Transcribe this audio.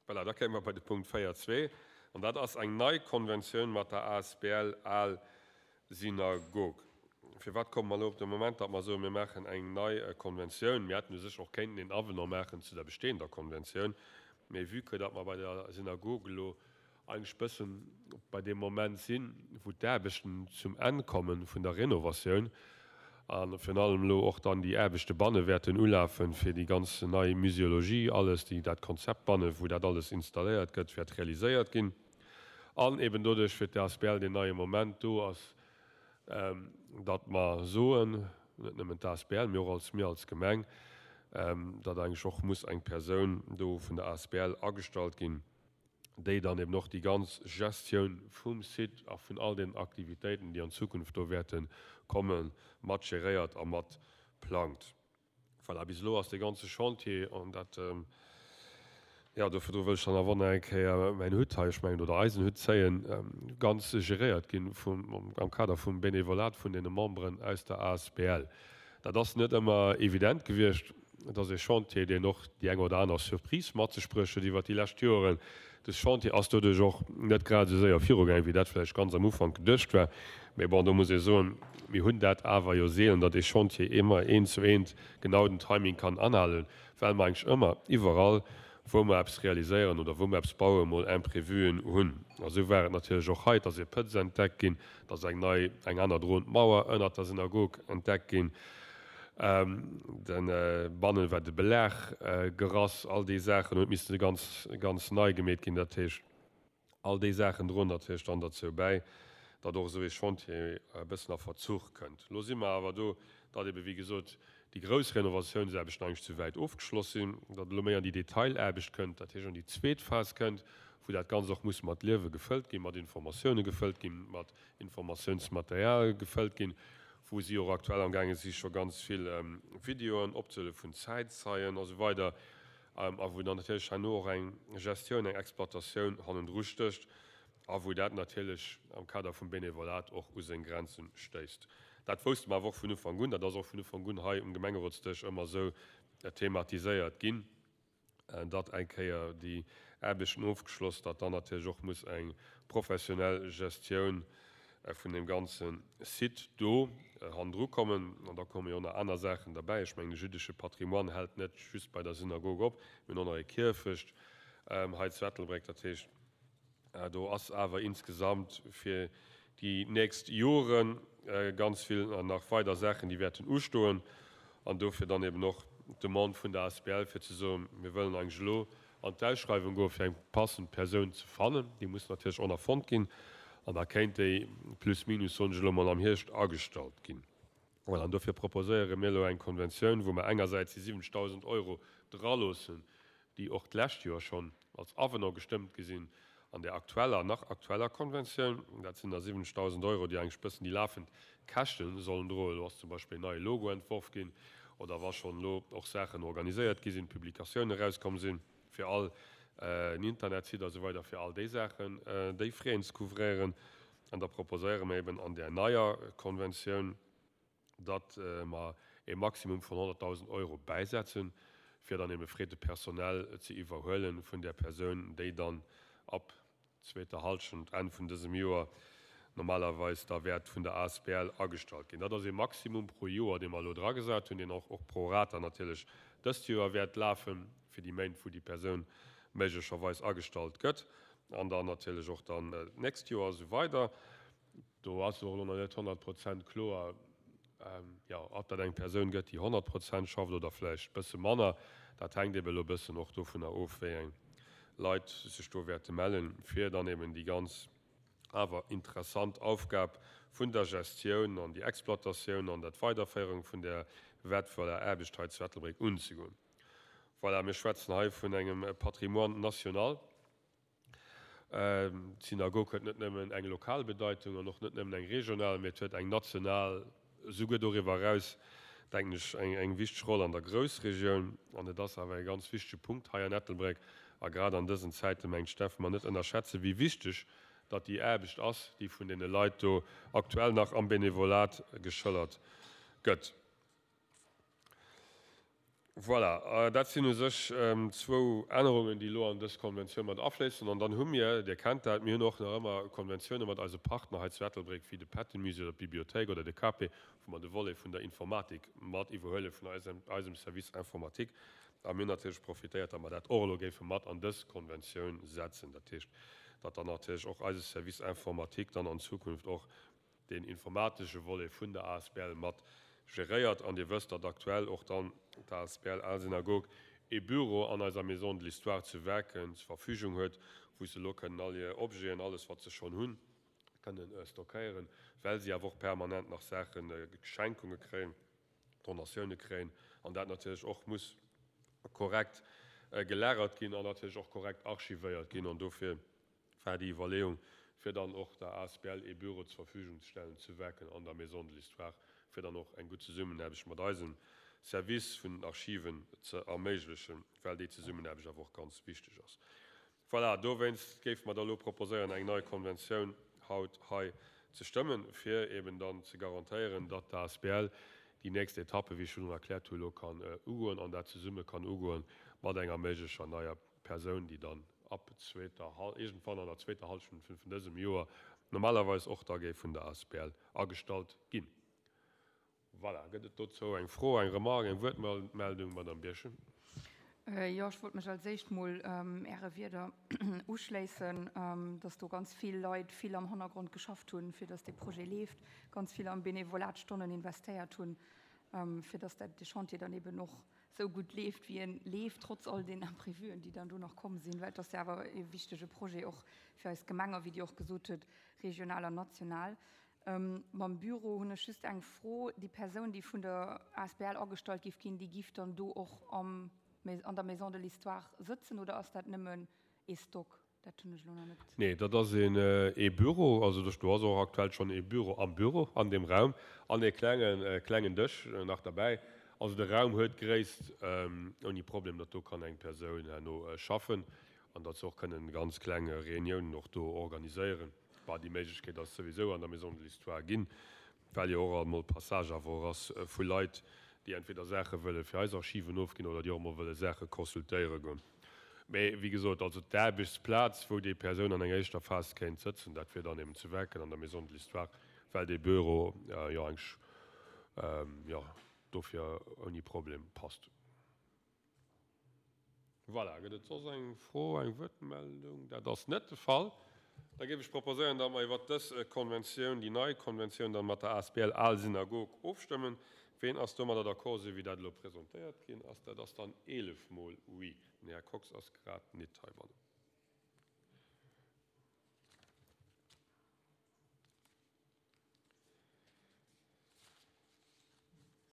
Voilà, da kéime mer bei de Punkt 4.2, an dat ass eng nei Konventioun mat der asbl Al Synagog. Firwat komme mer elo op de Moment, datt mer soen, mir maachen eng nei Konventioun? Mir hätten u sech och kéinten een Avenant maachen zu der bestehender Konventioun, mee vue que datt mer bei der Synagog elo eigentlech bëssen bei deem Moment sinn, wou d'Aarbechten zum Enn komme vun der Renovatioun a virun allem elo och dann déi Aarbechte banne wäerten ulafen, fir déi ganz nei Muséologie, alles, déi dat Konzept banne wou dat alles installéiert gëtt, wäert realiséiert ginn. An eben doduerch fir d'ASBL deen neie Moment do ass, datt mer soen, net nëmmen d'ASBL, mee och als mir als Gemeng, datt eigentlech och muss eng Persoun do vun der ASBL agestallt ginn, déi dann eben och déi ganz Gestioun vum Site a vun all den Aktivitéiten, déi an Zukunft do wäerte kommen, mat geréiert a mat plangt. Voilà, bis elo ass dee ganze Chantier, an dat, jo, dofir do wëll ech dann awer nach eng Kéier mäin Hutt hei, ech mengen, oder eisen Hutt zéien, ganz geréiert ginn vum, am Kader vum Benevolat vun deene Memberen aus der asbl. Dat ass net ëmmer evident gewiescht. Et ass ee Chantier, deen och déi eng oder aner Surprise mat sech bruecht huet iwwert déi lescht Joren. Dës Chantier ass doduerch och net grad esou séier virugaangen, wéi dat vläicht ganz am Ufank geduecht war. Mee bon, do muss ee soen, mir hunn dat awer jo seelen, datt ee Chantier ëmmer eent zu eent genau den Timing kann anhalen, well mer eigentlech ëmmer iwwerall, wou mer eppes realiséieren oder wou mer eppes bauen, mol Imprévuen hunn. A sou war et natierlech och hei. Et ass ee Pëtz entdeckt ginn, et ass eng nei, eng aner droend Mauer ënnert der Synagog entdeckt ginn. De bannen war de Belag gerass, all déi Saachen huet misste ganz, ganz nei gemeet ginn. Dat heescht, all déi Saachen droen natierlech dann derzou bäi, datt och esou ee Chantier e bëssen a Verzuch kënnt. Elo si mer awer do, datt ebe wéi gesot déi grouss Renovatiounsaarbechten eigentlech zu wäit ofgeschloss sinn, datt elo méi an déi Detailaarbecht kënnt, dat heescht an déi zweet Phas kënnt, wou dat Ganzt och muss mat Liewe gefëllt ginn, mat Informatioune gefëllt ginn, mat Informatiounsmaterial gefëllt ginn, wou si och aktuell am gaange si scho ganz vill Videoen opzehuelen vun Zäitzeien a sou weider a wou dann natierlech herno och eng Gestioun, eng Exploitatioun hannendru stécht a wou dat natierlech am Kader vum Benevolat och u seng Grenze stéisst. Dat wousste mer awer och vun Ufank un, dat ass och vun Ufank un hei um Gemengerotsdësch ëmmer esou thematiséiert ginn. datt eng Kéier déi Aarbechten ofgeschloss, datt dann natierlech och muss eng professionell Gestioun vun deem ganze Site do hannendru kommen. An da komme jo och nach aner Saachen derbäi. Ech mengen, de jüddesche Patrimoine hält net just bei der Synagog op. Mir hunn och nach e Kierfecht hei zu Ettelbréck. Dat heescht, Do ass awer insgesamt fir déi nächst Jore ganz vill nach weider Saachen, déi wäerten ustoen. An dofir dann eben och d'Demande vun der asbl, fir ze soen, mir wëllen eigentlech elo an d'Ausschreiwung goen, fir eng passend Persoun ze fannen. Déi muss natierlech och nach fonnt ginn. An da kéint déi plus minus, soen ech elo mol, am Hierscht agestallt ginn. Voilà, an dofir proposéiere mir elo eng Konventioun, wou mer engersäits déi 70.000 Euro draloossen, déi och d'lescht Joer schonn als Avenant gestëmmt gi sinn an där aktueller, nach aktueller Konventioun. Dat sinn da 70.000 Euro, déi eigentlech bëssen déi lafend Käschte sollen droen. Elo ass zum Beispill en neie Logo entworf ginn oder wa schonn elo och Saachen organiséiert gi sinn, Publikatiounen erauskomm sinn fir all en Internetsite a sou weider, fir all déi Saachen, déi Frais ze couvrieren. An da proposéiere mer eben an där neier Konventioun, datt mer e Maximum vun 100.000 Euro bäisetzen, fir dann eben Frais de personnel ze iwwerhuele vun där Persoun, déi dann ab zweeter Hallschent, Enn vun dësem Joer normalerweis da wäert vun der asbl agestallt ginn. Dat ass e Maximum pro Joer, dee mer elo dragesat hunn, deen och och pro rata natierlech dëst Joer wäert lafen, fir déi Méint, wou déi Persoun méiglecherweis agestallt gëtt, an dann natierlech och dann d'nächst Joer a sou weider. Do ass och elo nach net 100 Prozent kloer, jo, ob dat eng Persoun gëtt, déi 100 Prozent schafft oder vläicht e bësse manner. Dat hänkt eeben elo e bëssen och dovunner of, wéi eng Leit sech do wäerte mellen, fir dann eeben déi ganz awer interessant Aufgab vun der Gestioun an déi Exploitatioun an der Weiderféierung vun där wäertvoller Aarbecht hei zu Ettelbréck unzegoen. Voilà, mir schwätzen hei vun engem Patrimoine national. D'Synagog huet net nëmmen eng lokal Bedeitung an och net nëmmen eng regional, mee et huet eng national, esouguer doriwwer eraus, denken ech, eng wichteg Roll an der Groussregioun. An et ass awer e ganz wichtege Punkt hei an Ettelbréck. A grad an dësen Zäiten, mengt ech, däerfe mer net ënnerschätzen, wéi wichteg datt déi Aarbecht ass, déi vun deene Leit do aktuell nach am Benevolat geschëllert gëtt. Voilà, dat sinn u sech zwou Ännerungen, déi elo an dës Konventioun mat afléissen. An dann hu mir, Dir kennt dat, mir hunn och nach ëmmer Konventioune mat eise Partner hei zu Ettelbréck, wéi de Patton-Musée oder d'Bibliothéik oder de KP, wou mer de Volet vun der Informatik mat iwwerhuele vun eisem Service informatique. A mir hunn natierlech profitéiert, datt mer dat och elo géife mat an dës Konventioun setzen. Dat heescht, datt dann natierlech och eise Service informatique dann an Zukunft och deen informatesche Volet vun der asbl mat geréiert. An Dir wësst, datt aktuell och dann d'asbl Al Synagogue ee Büro an eiser Maison de l'Histoire zu Werken zur Verfügung huet, wou se elo kënnen all hir Objeten, alles wat se schonn hunn, kënnen stockéieren, well si awer och permanent nach Saachen, Schenkunge kréien, Donatioune kréien an dat natierlech och muss korrekt gelagert ginn an natierlech och korrekt archivéiert ginn. An dofir war déi Iwwerleeung, fir dann och der asbl ee Büro zur Verfügung ze stellen zu Werken an der Maison de l'Histoire, fir dann och eng gutt Zesummenaarbecht mat eisem Service vun den Archiven ze erméiglechen, well déi Zesummenaarbecht awer och ganz wichteg ass. Voilà, dowéinst géife mer da elo proposéieren, eng nei Konventioun haut hei ze stëmmen, fir eben dann ze garantéieren, datt d'asbl déi nächst Etappe, wéi ech virun erkläert hu, elo kann ugoen an dat zesumme kann ugoen mat enger méiglecher neier Persoun, déi dann ab zweeter, iergendwann an der zweeter Hallschent vun dësem Joer normalerweis och da géif vun der asbl agestallt ginn. Voilà, gëtt et dozou eng Fro, eng Remarque, eng Wuertmeldung? Madame Birchen. Jo, ech wollt mech als éischt mol Äre Wierder uschléissen, dass do ganz vill Leit vill am Hannergrond geschafft hunn, fir dass dee Projet leeft, ganz vill am Benevolat Stonnen investéiert hunn, fir dass dat de Chantier dann eben och esou gutt leeft, wéi en leeft, trotz all den Imprévuen, déi dann do nach komm sinn, well et ass jo awer e wichtege Projet och fir eis Gemeng a wéi Dir och gesot hutt, regional an national. Mam Büro hunn ech just eng Fro. Déi Persoun, déi vun der asbl agestallt géif ginn, déi giff dann do och am an der Maison de l'Histoire sëtzen oder ass dat nëmmen ee Stock? Dat hunn ech elo nach net. Nee, dat ass een ee Büro. Also do ass och aktuell schonn ee Büro am Büro, an deem Raum, an ee klengen, klengen Dësch nach derbäi. Also de Raum huet d'Gréisst ouni Problem, datt do kann eng Persoun herno schaffen an datt se och kënnen ganz kleng Reuniounen och do organiséieren. Bah, déi Méiglechkeet ass souwisou an der Maison de l'Histoire ginn, well jo och alt mol Passage awer och ass vu Leit, déi entweder Saache wëlle fir eis Archiven ofginn oder déi och emol wëlle Saache consultéiere goen. Mee wéi gesot, also d'Aarbechtsplaz, wou déi Persoun an enger éischter Phas kéint sëtzen, dat wier dann eben zu Werken an der Maison de l'Histoire, well dee Büro jo eigentlech, jo, dofir ouni Problem passt. Voilà, gëtt et soss eng Fro, eng Wuertmeldung? Dat ass net de Fall. Da géif ech proposéieren, datt mer iwwert dës Konventioun, déi nei Konventioun dann mat der asbl Al Synagog ofstëmmen. Ween ass domadder d'accord, esou wéi dat elo presentéiert ginn ass? Dat ass dann 11 mol Oui. Den Här Kox ass grad nit heibannen.